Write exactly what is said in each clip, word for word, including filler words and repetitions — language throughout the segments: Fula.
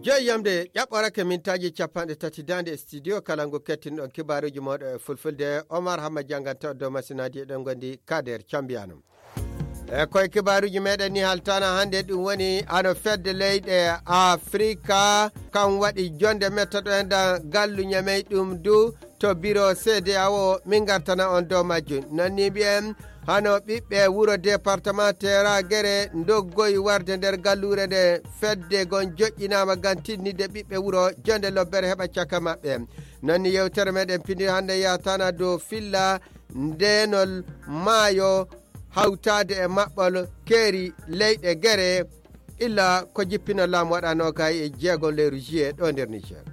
Yo yamde ƴaɓɓorake mintaaji capanɗe tati daande e studio kala ngu kettinɗon kibaaruuji mooɗo e fulfulde. Omar Hamma jannganta dow masinaaji eɗen ngondi Kader Cambiano. E koye kibaaruuji meɗen ni haltana hannde ɗum woni ano fedde leyɗe Afrika kan waɗi jonde mettoɗo enɗan gallu ñamey ɗum du to biro C D A O min gartana on dow majjum. Nonni mbiyen hano ɓiɓɓe wuro département Tera Gere ndoggoyi warde nder galluure nde fedde gon joƴƴinaama ngam tinnide ɓiɓɓe wuro jonde lobbere heɓa caka maɓɓe. Nonni yewtere meɗen pindi hannde yatana dow filla ndenol maayo hawtaade e maɓɓol keeri leyɗe Gere illa ko jippino laamu waɗa noogay e jeego lewru juillet ɗo nder Niger.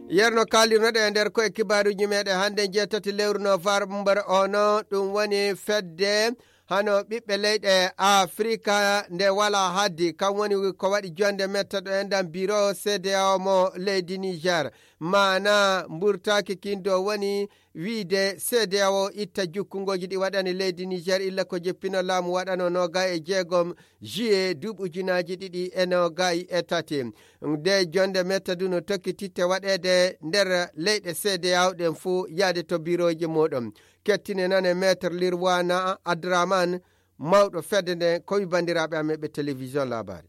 Yerno kaalirnoɗe e nder koye kibaaruuji meɗen hannde jeetati lewru novembre ono ɗum woni fedde hano ɓiɓɓe leyɗe Afrika nde wala haddi kam woni ko waɗi jonde mettoɗo enɗan biro C D A O mo leydi Niger. Maana mburtaaki kindo woni wiide C D A O itta jukkungooji ɗi waɗani leydi Niger illa ko jippino laamu waɗano noogay e jeegom juillet duuɓi ujunaaji ɗiɗi e noogay e tati. Nde jonde mettadu no tokkititte waɗeede nder leyɗe C D A O ɗen fuu yaade to birooji muuɗum. Kettine nane Maître Lirwana Adraman, mawɗo fedde nden, ko wi banndiraaɓe amen ɓe télévision Labari.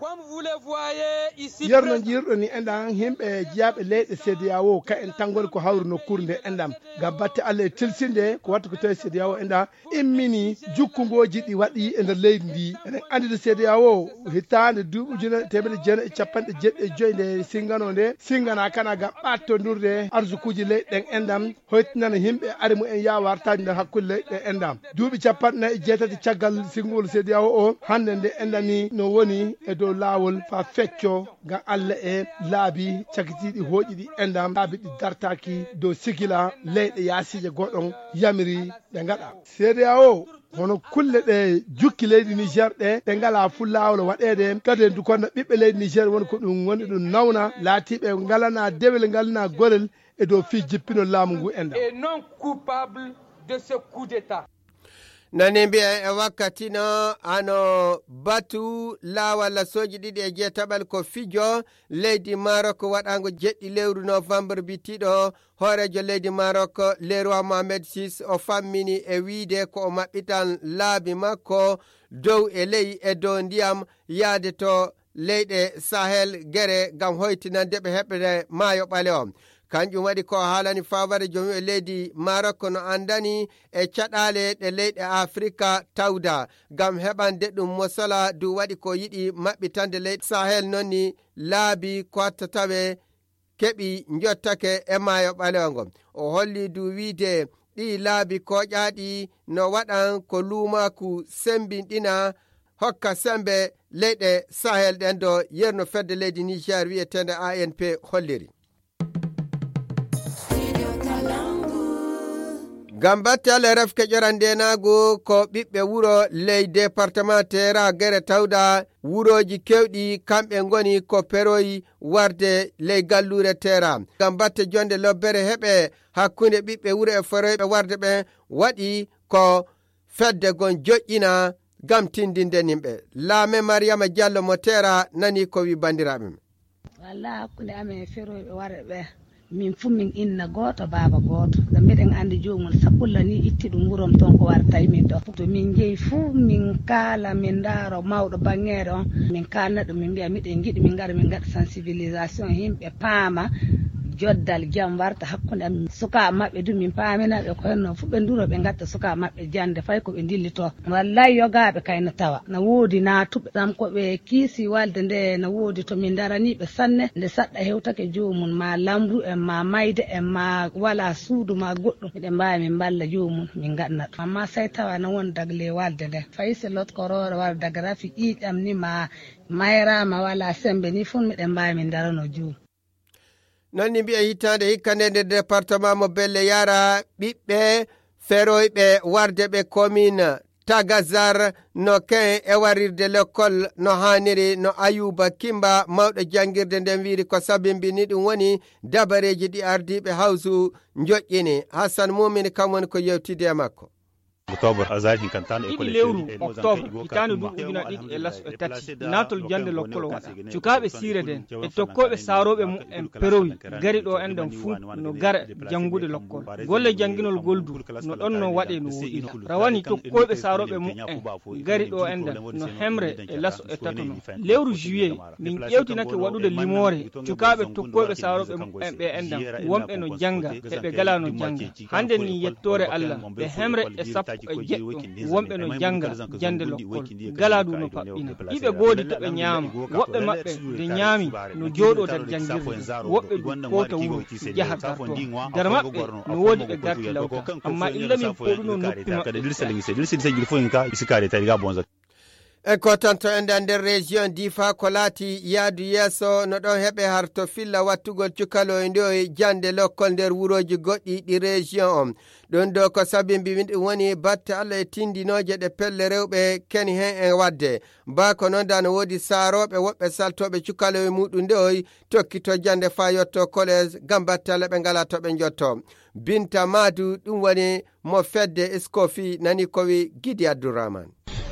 Comme vous le voyez ici yerno présent. Jiirɗo ni enɗan himɓe jiyaaɓe leyɗe C D A O ka en tangol ko hawru nokkuure nde enɗan ngam batte Allah e tilsinde ko watta ko tawi C D A O enɗan immini jukkungooji ɗi waɗi e nder leydi ndi. Eɗen anndi nde C D A O hitaande duuɓi ujunere teemedde jeenayi e capanɗe jeeɗiɗi e joyi nde singano nde singana kana ngam ɓattondurde arsukuuji leyɗe ɗen enɗan hoytinana yimɓe ari mumen yaawa artaade nder hakkunde leyɗe enɗam. Duuɓi capanɗe nayi e jeetati caggal singol C D A O o, hannde nde enɗam ni no woni e dow laawol faa fecco ngam Allah e laabi cakitiiɗi hooƴiɗi enɗam, laabi ɗi dartaaki dow sigila leyɗe yaasiije goɗon yamiri ɗe ngaɗa. C D A O hono kulle ɗe jukki leydi Niger ɗe, ɗe ngalaa fuu laawol waɗeede. Kadi en dukonna ɓiɓɓe leydi Niger woni ko ɗum woni ɗum nawna, laatiiɓe ngalana dewel, ngalana gorel e dow fii jippinol laamu ngu enɗam. Et non coupable de ce coup d'État. Nani mbiya e wakkati no ano batu laawal sooji ɗiɗi e jeetaɓal ko fijo leydi Maroc waɗaango jeɗɗi lewru novembre bitiiɗo hooreejo leydi Maroc Leroy Mohamed six o fammini e wiide ko o maɓɓitan laabi makko dow e ley e dow ndiyam yaade to leyɗe Sahel gere ngam hoytinande ɓe heɓre maayo ɓalewo. Kanjum waɗi ko o haalani faabare jomi e leydi Maroc no anndani e caɗaale ɗe leyɗe Afrika tawda ngam heɓande ɗum mosala du waɗi ko yiɗi maɓɓitande leyɗe Sahel noon ni laabi ko watta tawe keɓi njottake e maayo ɓalewo ngo. O holli du wiide ɗi laabi koƴaaɗi no waɗan ko luumaaku sembinɗina hokka sembe leyɗe Sahel ɗen do yerno fedde leydi Niger wi'eteende A N P holliri. Ngam batte Allah refke ƴoran ndenaagu ko ɓiɓɓe wuro ley département Tera gere tawda wurooji kewɗi kamɓe ngoni ko peroyi warde ley galluure Tera. Ngam batte jonde lobbere heɓe hakkunde ɓiɓɓe wuro e feroyɓe warde ɓe waɗi ko fedde gon joƴƴina ngam tindinde nimɓe. Laame Mariama Diallo mo Tera nani ko wi banndiraaɓe men. Walla hakkunde amen e feroyɓe warɓe ɓe. Min fuu min inna gooto, baaba gooto. Ngam miɗen anndi joomum sakulla ni itti ɗum wurom ton ko wartay min ɗo. To min njehi fuu min kaala, min ndaaro mawɗo bangeere on. Min kaalna ɗum, min mbiya miɗen njiɗi min ngara min ngaɗa sensibilisation, yimɓe paama joddal jam warta hakkunde amin. Sukaaɓe maɓɓe du min paamina ɓe ko henno fuu ɓe nduro ɓe ngatta sukaaɓe maɓɓe jannde fay ko ɓe ndillito. Wallay yogaaɓe kay no tawa. Na woodi naatuɓe. Sam ko ɓe kiisi walde nde na woodi to min ndarani ɓe sanne. Nde saɗɗa hewtake joomum ma lamru en ma mayde en ma wala suudu ma goɗɗum. Miɗen mbaawi min mballa joomum min ngaɗna ɗum. Amma sey tawa na won dagle walde nde. Fay se lotkoroore wara daga rafi ƴiiƴam ni ma mayraama wala sembe ni fuu miɗen mbaawi min ndarano joomum. Noon ni mbiya hitaande hikka nde nder département mo Belle Yara ɓiɓɓe feroyɓe warde ɓe commune Tagazar no ken e warirde lekkol no haaniri no Ayuba Kimba mawɗo janngirde nden wiiri ko sabimbini ɗum woni dabareeji ɗi ardiiɓe hawsu njoƴƴini. Hassan Mumini kam woni ko yewtidi e makko. Ɗiɗi lewru oktoobre hitaande duuɓi ujunaaji ɗiɗi e laso e tati, naatol jannde lokkol waɗa. Cukaaɓe siire den e tokkooɓe saarooɓe mumen perowi gari ɗo enɗan fuu no gara janngude lokkol. Golle jannginol gol du no ɗon no waɗee no woɗɗira. Rawani tokkooɓe saarooɓe mumen gari ɗo enɗan no hemre e laso e tato no. Lewru juillet, min ƴeewtinake waɗude limoore cukaaɓe tokkooɓe saarooɓe mumen ɓe enɗan, wonɓe no jannga e ɓe galaa no jannga. Hande ni yettoore Allah, ɓe hemre e sappo e jeɗɗo wonɓe no jannga jannde lokkol. Galaa du no paɓɓina. Iɓe goodi to ɓe ɲaama. Woɓɓe maɓɓe de ɲaami no jooɗoo der janngirde. Woɓɓe du koota wuro, jaha gartoo. Der maɓɓe no woodi ɓe garti lawta. Amma illa min pooɗuno noppi maɓɓe. En kootanto enɗan nder région Difa ko laati yaadu yeeso no ɗon heɓe har to filla wattugol cukaloy ndoy jannde lokkol nder wurooji goɗɗi ɗi région on. Ɗum ɗo ko sabi mbi ɗum woni batte Allah e tindinooje ɗe pelle rewɓe keni hen e waɗde. Baa ko noon da no woodi saarooɓe woɓɓe saltooɓe cukaloy muɗum ndoy tokkito jannde faa yotto collège ngam batte Allah ɓe ngalaa to ɓe njotto. Binta Maadu ɗum woni mo fedde Iskofi nani ko wi Gidi Abdurrahman.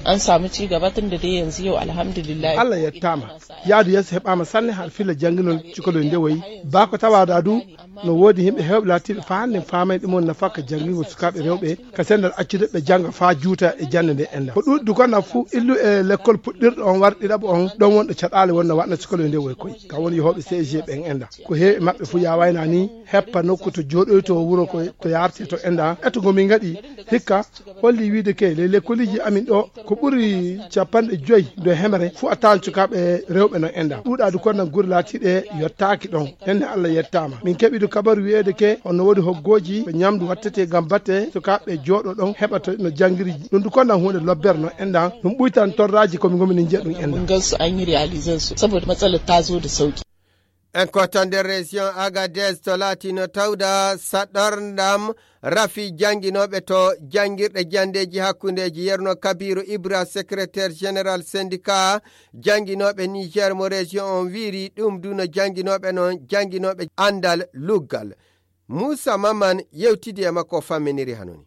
An samu ci gaba tun da dai yanzu yau alhamdulillah. Allah yettaama. Yaadu yeeso heɓaama sanne har filla jannginol cukalel nde wayi. Baa ko tawaada du no woodi yimɓe heewɓe laatiiɓe faa hannde faamay ɗum on nafaka janngingol sukaaɓe rewɓe ka sendal accude ɓe jannga faa juuta e jannde nde enda. Ko ɗuuɗi du ko na fuu illu e lekkol puɗɗirɗo on war ɗiɗaɓo on ɗon wonɗo caɗaale wonno waɗna cukalel nde wayi koy. Ka woni yehooɓe C G ɓen enda. Ko heewi maɓɓe fuu yaawaynaa ni heppa nokku to jooɗoytoo wuro ko to yaartee to enda. Eto ngo min ngaɗi hikka holli wiide ke ley lekkoliji amin ɗo ko ɓuri capanɗe joyi do hemre fu a tawan cukaaɓe rewɓe no enda ɗuuɗaadu kon nan gure laatiiɗe yottaaki ɗon. Enne Allah yettaama min keɓidu kabaru wi'eede ke on no woodi hoggoji ko ñamdu wattete ngam batte sukaaɓe jooɗo ɗon heɓa to no janngiriji ɗum du kon nan huunde lobbere no enda ɗum ɓuytan torraaji komi ngomi ni njiya ɗum enda. Mun gansu an yi realizan su saboda matsalar ta zo da sauki. En kootan nder région Agadez to laatino tawda saɗorndam rafi jannginooɓe to janngirɗe janndeeji hakkundeeji. Yerno Kabiru Ibra, secrétaire général syndicat jannginooɓe Niger mo région on wiiri ɗum du no jannginooɓe non jannginooɓe anndal luggal. Muusa Maman yewtidi e makko famminiri hanoni.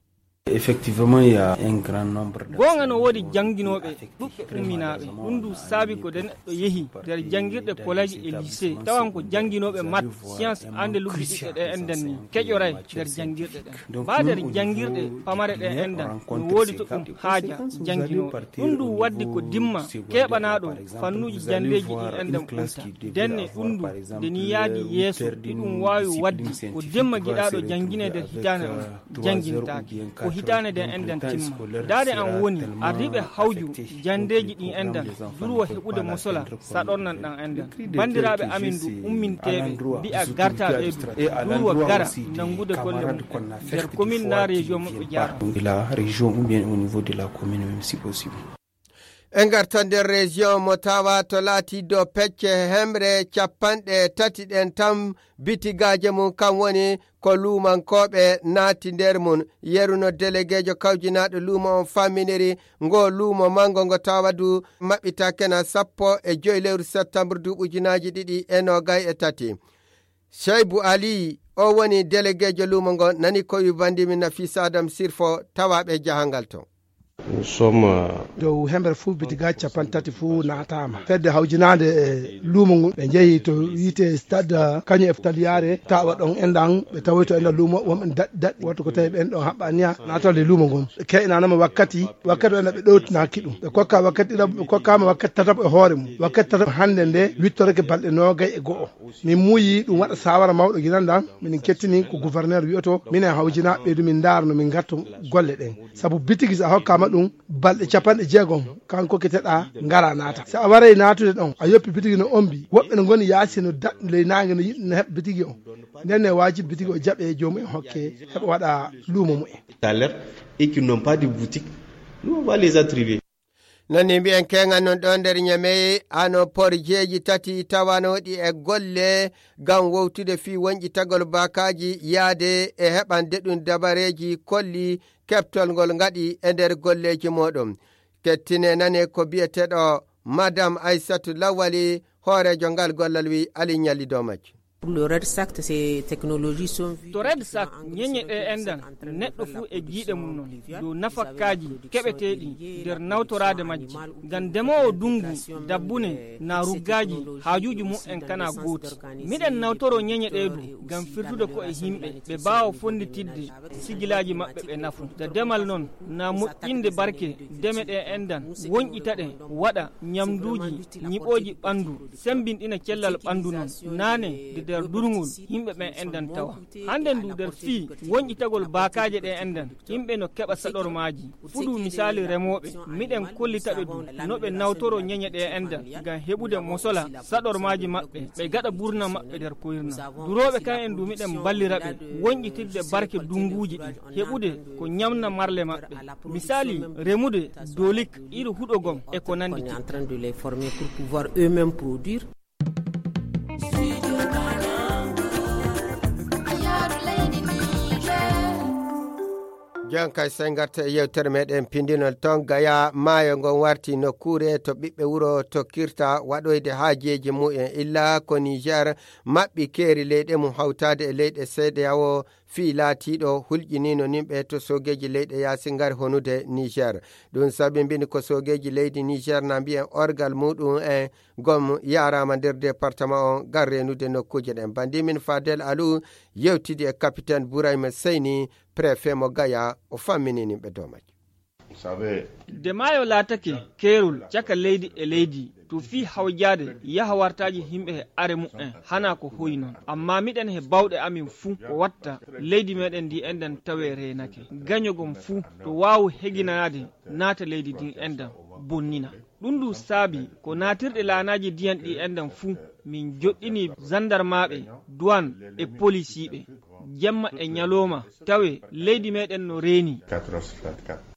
Effectivement, il y a un grand nombre de goonga no woodi jannginooɓe ɗuɓɓe umminaaɓe. Ɗum du saabi ko de neɗɗo yehi nder janngirɗe collège e lycée tawan ko jannginooɓe mat science ande luggiɗiɗɗe ɗe enɗen ni keƴoray nder janngirɗe ɗen. Baa nder janngirɗe pamare ɗe enɗan no woodi to ɗum haaja jannginooɓe. Ɗum du waddi ko dimma keɓanaaɗo fannuuji janndeeji ɗi enɗan ɓuyta. Denne ɗum du nde ni yaadi yeeso ɗi ɗum waawi waddi ko dimma giɗaaɗo janngine nder hitaane on janngintaake. Ko hitaane nden enɗan timma. Daade an woni ardiiɓe hawju janndeeji ɗin enɗan durwo heɓude mosola saɗornan ɗan enɗan. Banndiraaɓe amin du umminteeɓe mbi'a gartaaɓe du durwo gara nanngude golle mum en nder commune na région mum ɓe jaara. De la région ou bien au niveau de la commune même si possible. En ngarta nder région mo tawa to laati do pecce hemre capanɗe tati ɗen tan bitigaaje mum kam woni ko luumankooɓe naati nder mum. Yeru no delegeejo kawjinaaɗo luumo on famminiri ngo luumo manngo ngo tawa du maɓɓitaake na sappo e joy lewru septembre duuɓi ujunaaji ɗiɗi e noogay e tati. Seybu Ali o woni delegeejo luumo ngo nani ko wi banndi min Nafisa Adam Sirfo tawaaɓe jahangal ton. Dow hemre fuu bitiga capanɗe tati fuu naataama fedde hawjinaande e luumo ngun ɓe njehi to wiite stade kañum e taliyaare tawa ɗon enɗan ɓe tawoyto enɗan luumo wonɓe daɗɗi daɗɗi woto ko tawi ɓen ɗon haɓɓaniya naatorde luumo ngun. Ɓe keynanama wakkati wakkati o enɗan ɓe ɗowtinaki ɗum ɓe kokka wakkati ɗiɗaɓo ɓe kokkama wakkati tataɓo e hoore mum wakkati tataɓo hannde nde wittorake balɗe noogay e go'o. Min muuyi ɗum waɗa saawara mawɗo ginan ɗan minin kettini ko gouverneur wi'oto minen hawjinaaɓe ɓeydu min ndaara no min ngarto golle ɗen. Sabu bitigi so a hokkaama ɗum balɗe capanɗe jeegom kan kokketeɗaa ngara naata so a waray naatude ɗon a yoppi bitigi no ombi woɓɓe no ngoni yaasi no daɗɗi ley naange no yiɗi no heɓa bitigi o. Nden ne waajibi bitigi o jaɓe joomum en hokke heɓa waɗa luumo mumen. D'alerte et qui n'ont pas de boutique, nous on va les attribuer. Nani mbiyen keŋan non ɗo nder ñamey hano porjeeji tati tawanooɗi e golle ngam wowtude fii wonƴitagol baakaaji yaade e heɓande ɗum dabareeji kolli keɓtol ngol ngaɗi e nder golleeji mooɗon. Kettine nane ko biyeteeɗo madam Aysatu Lawali hooreejo ngal gollal wi Ali ñalli dow majjum. Pour le REDSACT, ces technologies sont vues. To REDSACT, ñeñe ɗe enɗan, neɗɗo fuu e giiɗe mum non dow nafakkaaji keɓeteeɗi nder nawtoraade majji. Ngam demoowo dungu, dabbune, naa ruggaaji, haajuuji mumen kanaa gooti. Miɗen nawtoroo ñeñe ɗee du ngam firtude ko'e yimɓe, ɓe mbaawa fonnditidde sigilaaji maɓɓe ɓe nafu. Da demal non, naa moƴƴinde barke deme ɗe enɗan, wonƴita ɗe, waɗa ñamduuji, ñiɓooji ɓanndu, semmbinɗina cellal ɓanndu non, naane de nder durngol, yimɓe ɓen enɗan tawa. Hannde ndu nder fii wonƴitagol baakaaje ɗe enɗan, yimɓe no keɓa saɗormaaji. Fuu du misaali remooɓe, miɗen kollita ɓe du no ɓe nawtoroo ñeñe ɗe enɗan ngam heɓude mosola saɗormaaji maɓɓe, ɓe gaɗa burna maɓɓe nder koyirna. Durooɓe kan en du miɗen mballira ɓe wonƴitirde barke dunguuji ɗin, heɓude ko ñamna marle maɓɓe. Misaali, remude dolik, iri huɗo gom e ko nanndi. On est en train de les former pour pouvoir eux-mêmes produire. Jon kay, sey ngarten e yewtere meɗen pindinol. Ton Gaya, maayo ngon warti nokkuure to ɓiɓɓe wuro tokkirta waɗoyde haajeeji mumen. Illa ko Niger maɓɓi keeri leyɗe mum hawtaade e leyɗe C D A O fii laatiiɗo hulƴiniino nimɓe to soogeeji leyɗe yaasi ngari honude Niger. Ɗum sabibini ko soogeeji leydi Niger na mbiyen orgal muɗum en gom yaaraama nder département on ngam reenude nokkuuje ɗen. Bandimin Fadel Alou yewtidi e capitaine Bourayma Seyni, préfet mo Gaya, o famminini ɓe dow majjum. Vous savez, nde maayo laatake keerol caka leydi e leydi, to fii hawjaade yaha wartaaji yimɓe he are mumen, hanaa ko hoyi non. Amma miɗen he bawɗe amin fuu ko watta leydi meɗen ndi enɗan tawe reenake. Gaño gom fuu to waawu heginanaade naata leydi ndin enɗan bonnina. Ɗum ndu saabi ko naatirɗe laanaaji ndiyan ɗi enɗan fuu, min joɗɗini zandarmaaɓe, duwan e polisiiɓe. Jemma e ñalooma, tawe leydi meɗen no reeni.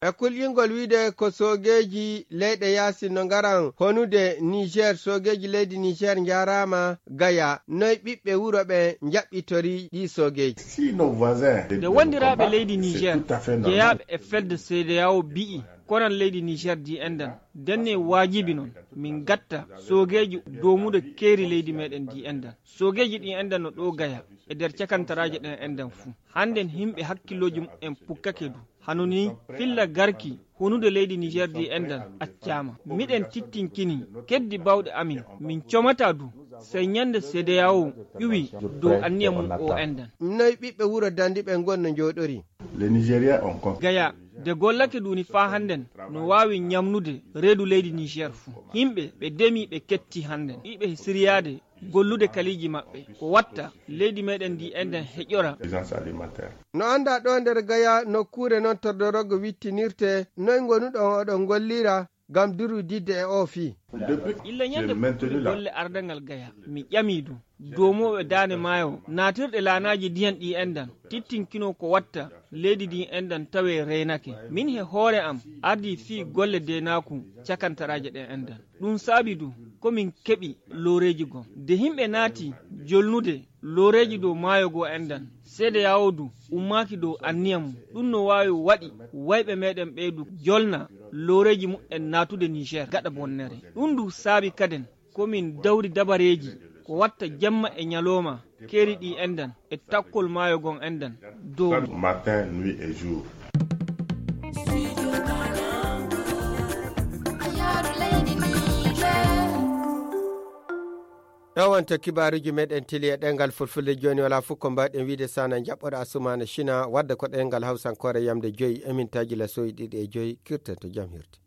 E kulƴingol wiide ko soogeeji leyɗe yaasi no ngaran honude Niger, soogeeji leydi Niger njaaraama Gaya. Noy ɓiɓɓe wuro ɓe njaɓɓitori ɗi soogeeji? Si nos voisins de, nde wondiraaɓe leydi Niger jeyaaɓe e fedde C D A O mbi'i, koran leydi Niger ndi enɗan, denne waajibi non min gatta soogeeji doomude keeri leydi meɗen ndi enɗan. Soogeeji ɗi enɗan no ɗo Gaya e nder cakantaraaji ɗen enɗan fuu. Hannden yimɓe hakkillooji mumen pukkake du. Hano ni filla garki honude leydi Niger ndi enɗan accaama. Miɗen tittinkini keddi bawɗe amin. Min comata du sey ñande C D A O ƴuwi dow anniya mum o enɗan. Noy ɓiɓɓe wuro Dandi ɓen ngon no njooɗori? Les Nigériens ont compris. Gaya, de gollake duni faa hannden no waawi ñamnude reedu leydi Niger fuu. Yimɓe ɓe demi ɓe ketti hannden. Iɓe siriyaade gollude kaliiji maɓɓe. Ko watta leydi meɗen ndi enɗan heƴora. Suffisance alimentaire. No anndaa ɗo nder Gaya nokkuure non to dorogo wittinirte, noy ngonuɗon oɗon ngollira ngam durudidde e oo fii? Illa ñande puɗɗude golle ardangal Gaya, mi ƴami du doomooɓe daane maayo naatirɗe laanaaji ndiyan ɗi enɗan, tittinkino ko watta leydi ndi enɗan tawe reenake. Min he hoore am ardii fii golle deenaaku cakantaraaje ɗen enɗan. Ɗum saabi du ko min keɓi looreeji gom. De yimɓe naati jolnude looreeji dow maayo goo enɗan, C D A O du ummaaki dow anniya mum. Ɗum no waawi waɗi wayɓe meɗen ɓee du jolna looreeji mumen naatude Niger gaɗa bonnere. Ɗum du saabi kaden ko min dawri dabareeji ko watta jemma e ñalooma, keeri ɗi enɗan e takkol maayo gon enɗan dow. Matin, nuit et jour. Ɗo wonta kibaaruuji meɗen tili e ɗemngal Fulfulde. Jooni wala fof ko mbaɗen wiide sana jaɓɓoɗo Asumaana Sina wadda ko ɗemngal Hawsankoore yamde joyi e mintaaji lasoyi ɗiɗi e joyi. Kirten to jam hirti.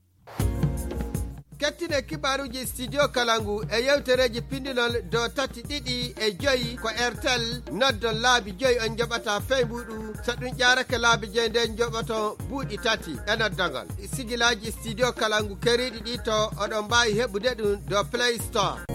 Kettine kibaaruuji Studio Kalangu e yewtereeji pindinol dow tati ɗiɗi e joyi ko Airtel. Noddon laabi joyi on njoɓata fey mbuuɗu. So ɗum ƴaarake laabi joyi nden njoɓoton buuɗi tati e noddagol. Sigilaaji Studio Kalangu keeriiɗi ɗi to oɗon mbaawi heɓude ɗum dow Play Store.